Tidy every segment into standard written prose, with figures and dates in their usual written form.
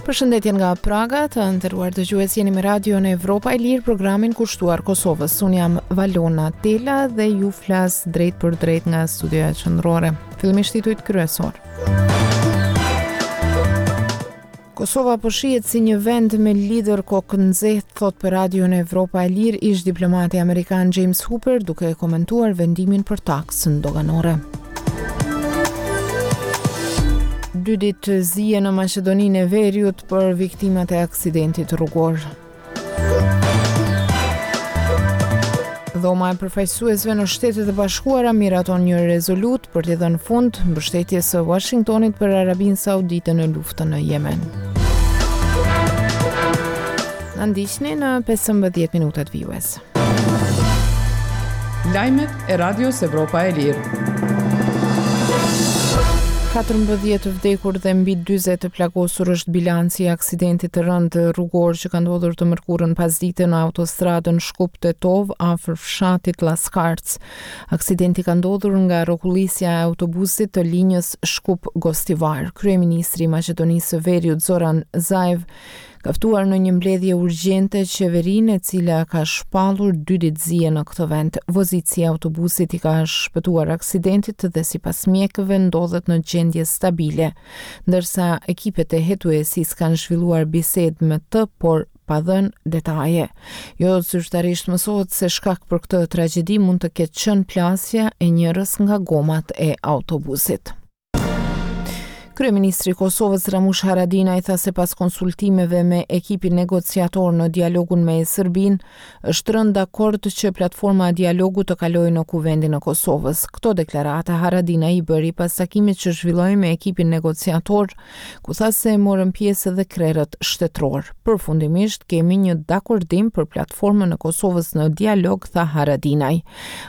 Përshëndetje nga Praga, të nderuar dëgjues jeni me Radion Evropa e Lirë, programin kushtuar Kosovës. Unë jam Valona Tela dhe ju flas drejtpërdrejt nga studioja qendrore. Fillimisht titujt kryesorë. Kosova po shihet si një vend me liderë kokënxehtë, thotë për Radion Evropa e Lirë ish diplomati amerikan James Hooper duke komentuar vendimin për taksën doganore. Dy ditë zie në Maqedoninë e Veriut për viktimat e aksidentit rrugor. Dhoma e përfaqësuesve në Shtetet e Bashkuara miraton një rezolutë për t'i dhënë fund mbështetjes së Washingtonit për Arabinë Saudite në luftën në Jemen. Na ndiqni në 15 minutat vijuese. Lajmet e Radios Evropa e Lirë. 14 të vdekur dhe mbi 40 të plagosur është bilanci i aksidentit të rëndë rrugor që ka ndodhur të mërkurën pasdite në autostradën Shkup-Tetovë afër fshatit Laskarc. Aksidenti ka ndodhur nga rrokullisja e autobusit të linjës Shkup-Gostivar. Kryeministri i Maqedonisë së Veriut Zoran Zaev ka ftuar në një mbledhje urgjente qeverinë e cila ka shpallur dy ditë zie në këtë vend. Vozitësi i autobusit i ka shpëtuar aksidentit dhe sipas mjekëve ndodhet në gjendje stabile, ndërsa ekipet e hetuesisë kanë zhvilluar bisedë me të, por pa dhënë detaje. Jo zyrtarisht mësohet se shkak për këtë tragjedi mund të ketë qenë plasja e njërës nga gomat e autobusit. Kryeministri i Kosovës Ramush Haradinaj tha se pas konsultimeve me ekipin negociator në dialogun me Serbinë, është rënë dakord që platforma e dialogut të kalojë në Kuvendin e Kosovës. Këto deklarata Haradinaj i bëri pas takimit që zhvilloi me ekipin negociator, ku tha se morën pjesë edhe krerët shtetërorë. Përfundimisht kemi një dakordim për platformën e Kosovës në dialog, tha Haradinaj.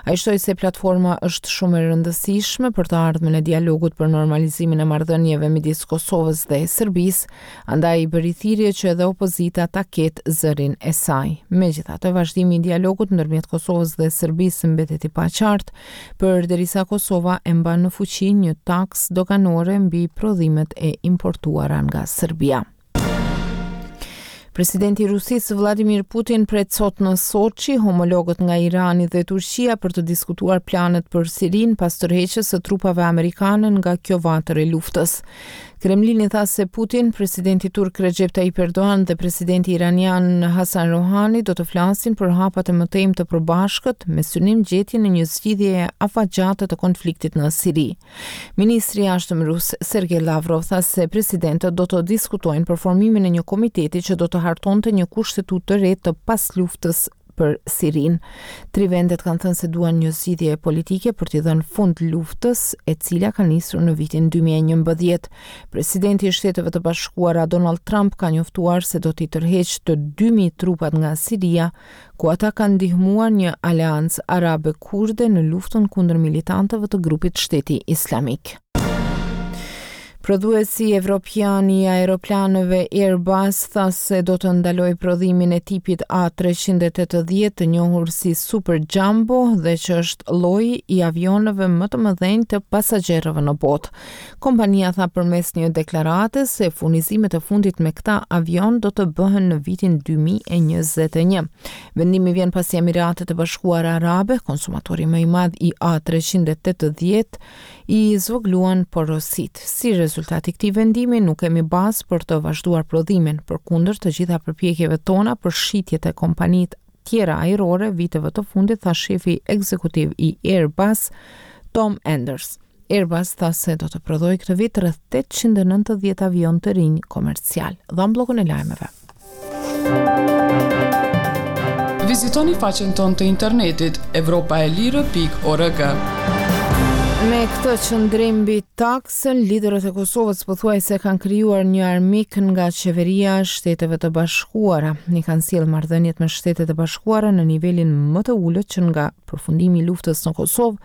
Ai shtoi se platforma është shumë e rëndësishme për të ardhmen e dialogut për normalizimin e marrëdhënieve midis Kosovës dhe Serbisë, andaj i bëri thirrje që edhe opozita ta ketë zërin e saj. Megjithatë, vazhdimi i dialogut ndërmjet Kosovës dhe Serbisë mbetet i paqartë, përderisa Kosova e mban në fuqi një taksë doganore mbi prodhimet e importuara nga Serbia. Presidenti i Rusisë Vladimir Putin pret sot në Soçi homologët nga Irani dhe Turqia për të diskutuar planet për Sirinë pas tërheqjes së trupave amerikane nga kjo vatër e luftës. Kremlini tha se Putin, presidenti turk Recep Tayyip Erdogan dhe presidenti iranian Hassan Rouhani do të flasin për hapat e mëtejmë të përbashkët me synim gjetjen e një zgjidhjeje afatgjate të konfliktit në Siri. Ministri i Jashtëm rus, Sergei Lavrov, tha se presidentët do të diskutojnë për formimin e një komiteti që do të hartonte një kushtetutë të re të pasluftës për Sirinë. Tri vendet kanë thënë se duan një zgjidhje politike për t'i dhënë fund luftës, e cila ka nisur në vitin 2011. Presidenti i Shteteve të Bashkuara Donald Trump ka njoftuar se do t'i tërheqë të 2000 trupat nga Siria ku ata kanë ndihmuar një aleancë arabe-kurde në luftën kundër militantëve të grupit Shteti Islamik. Prodhuesi evropian i aeroplanëve Airbus tha se do të ndalojë prodhimin e tipit A380 të njohur si Super Jumbo dhe që është lloji i avionëve më të mëdhenj të pasagjerëve në botë. Kompania tha përmes një deklarate se furnizimet e fundit me këta avionë do të bëhen në vitin 2021. Vendimi vjen pasi Emiratet e Bashkuara Arabe, konsumatori më i madh i A380, i zvogëluan porositë. Si rezultat i këtij vendimi, nuk kemi bazë për të vazhduar prodhimin, përkundër të gjitha përpjekjeve tona për shitje te kompanitë tjera ajrore viteve të fundit, tha shefi ekzekutiv i Airbus, Tom Enders. Airbus tha se do të prodhojë këtë vit rreth 890 avionë të rinj komercialë. Dhamë bllokun e lajmeve. Vizitoni faqen tonë të internetit evropaelire.org. Me këtë qëndrim mbi taksën, liderët e Kosovës pothuajse kanë krijuar një armik nga qeveria e Shteteve të Bashkuara. I kanë sjellë marrëdhëniet me Shtetet e Bashkuara në nivelin më të ulët që nga përfundimi i luftës në Kosovë,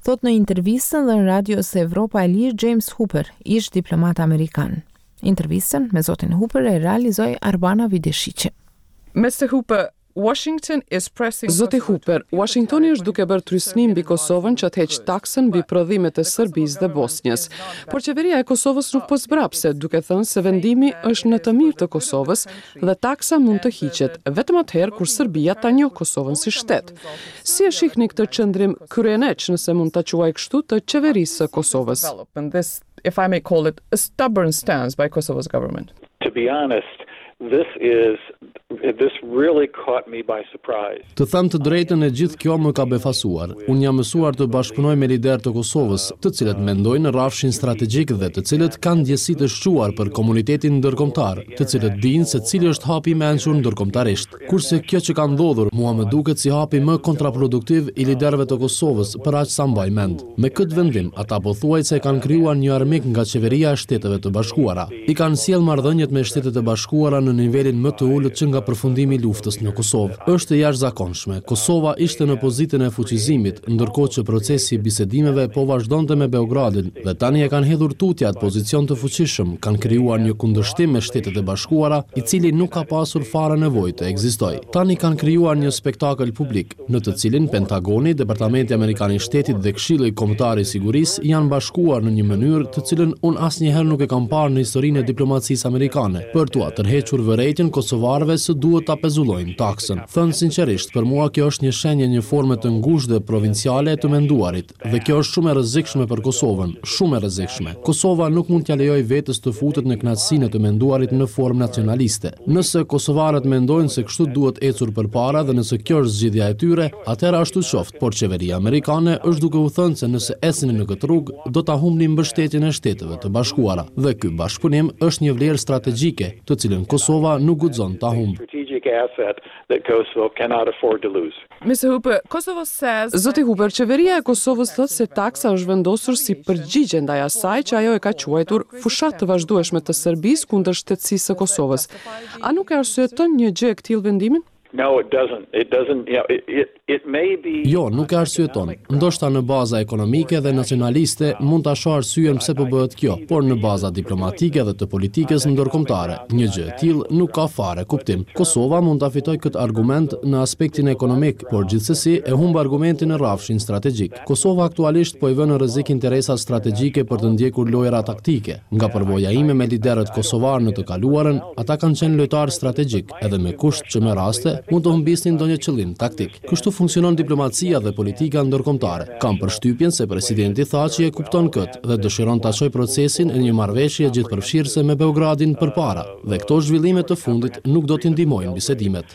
thotë në intervistën dhënë Radios Evropa e Lirë James Hooper, ish diplomat amerikan. Intervistën me zotin Hooper e realizoi Arbana Videshiqi. Mr. Hooper, Washington is pressing Zoti Hooper, Uashingtoni është duke bërë trysni mbi Kosovën që të heqë taksën mbi prodhimet e Serbisë dhe Bosnjës. Por qeveria e Kosovës nuk po zbrapset, duke thënë se vendimi është në të mirë të Kosovës dhe taksa mund të hiqet vetëm atëherë kur Serbia ta njohë Kosovën si shtet. Si e shihni këtë qëndrim kryeneç, nëse mund ta quaj kështu, të qeverisë së Kosovës? If I may call it, a stubborn stance by Kosovo's government. To be honest, this is this really caught me by surprise. Të them të drejtën e gjithë kjo më ka befasuar. Unë jam mësuar të bashkëpunoj me liderë të Kosovës, të cilët mendojnë në rrafshin strategjik dhe të cilët kanë ndjesi të shquar për komunitetin ndërkombëtar, të cilët dinë se cili është hapi i mençur ndërkombëtarisht. Kurse kjo që ka ndodhur, mua më duket si hapi më kontraproduktiv i liderëve të Kosovës, për aq sa mbaj mend. Me këtë vendim, ata pothuajse kanë krijuar një armik nga qeveria e Shteteve të Bashkuara. I kanë sjellë marrëdhëniet me Shtetet e Bashkuara në nivelin më të ulët që nga përfundimi i luftës në Kosovë. Është e jashtëzakonshme. Kosova ishte në pozitën e fuqizimit, ndërkohë që procesi i bisedimeve po vazhdonte me Beogradin dhe tani e kanë hedhur tutje atë pozicion të fuqishëm, kanë krijuar një kundërshtim me Shtetet e Bashkuara, i cili nuk ka pasur fare nevojë të ekzistojë. Tani kanë krijuar një spektakël publik. në të cilin Pentagoni, Departamenti Amerikan i Shtetit dhe Këshilli Kombëtar i Sigurisë janë bashkuar në një mënyrë të cilën unë asnjëherë nuk e kam parë në historinë e diplomacisë amerikane, për t'ua tërhequr vërejtjen kosovarëve se duhet ta pezullojnë taksën. Thënë sinqerisht, për mua kjo është një shenjë e një forme të ngushtë dhe provinciale e të menduarit. Dhe kjo është shumë e rrezikshme për Kosovën, shumë e rrezikshme. Kosova nuk mund t'ia lejojë vetes të futet në kënaqësinë e të menduarit në formë nacionaliste. Nëse kosovarët mendojnë se kështu duhet ecur përpara dhe nëse kjo është zgjidhja e tyre, atëherë ashtu qoftë, por qeveria amerikane është duke u thënë se nëse ecni në këtë rrugë, do ta humbni mbështetjen e Shteteve të Bashkuara. Dhe ky bashkëpunim është një vlerë strategjike, të cilën Kosova nuk guxon ta humbë. That Kosovo cannot afford to lose. Mister Hooper, Kosovo says Zoti Hooper, qeveria e Kosovës thotë se taksa është vendosur si përgjigje ndaj asaj që ajo e ka quajtur fushatë të vazhdueshme të Serbisë kundër shtetësisë së Kosovës. A nuk e arsyeton një gjë e këtillë vendimin? No, it doesn't. It doesn't, you know, it, it, it may be Jo, nuk e arsyeton. Ndoshta në baza ekonomike dhe nacionaliste mund ta shoh arsyen pse po bëhet kjo, por në baza diplomatike dhe të politikës ndërkombëtare, një gjë e tillë nuk ka fare kuptim. Kosova mund ta fitojë këtë argument në aspektin ekonomik, por gjithsesi e humb argumentin në rrafshin strategjik. Kosova aktualisht po i vë në rrezik interesat strategjike për të ndjekur lojëra taktike. Nga përvoja ime me liderët kosovarë në të kaluarën, ata kanë qenë lojtarë strategjikë, edhe me kusht që me raste mund të humbisnin ndonjë qëllim taktik. Kështu funksionon diplomacia dhe politika ndërkombëtare. Kam përshtypjen se presidenti Thaçi e kupton këtë dhe dëshiron ta çojë procesin e një marrëveshje gjithëpërfshirëse me Beogradin përpara dhe këto zhvillime të fundit nuk do t'i ndihmojnë bisedimet.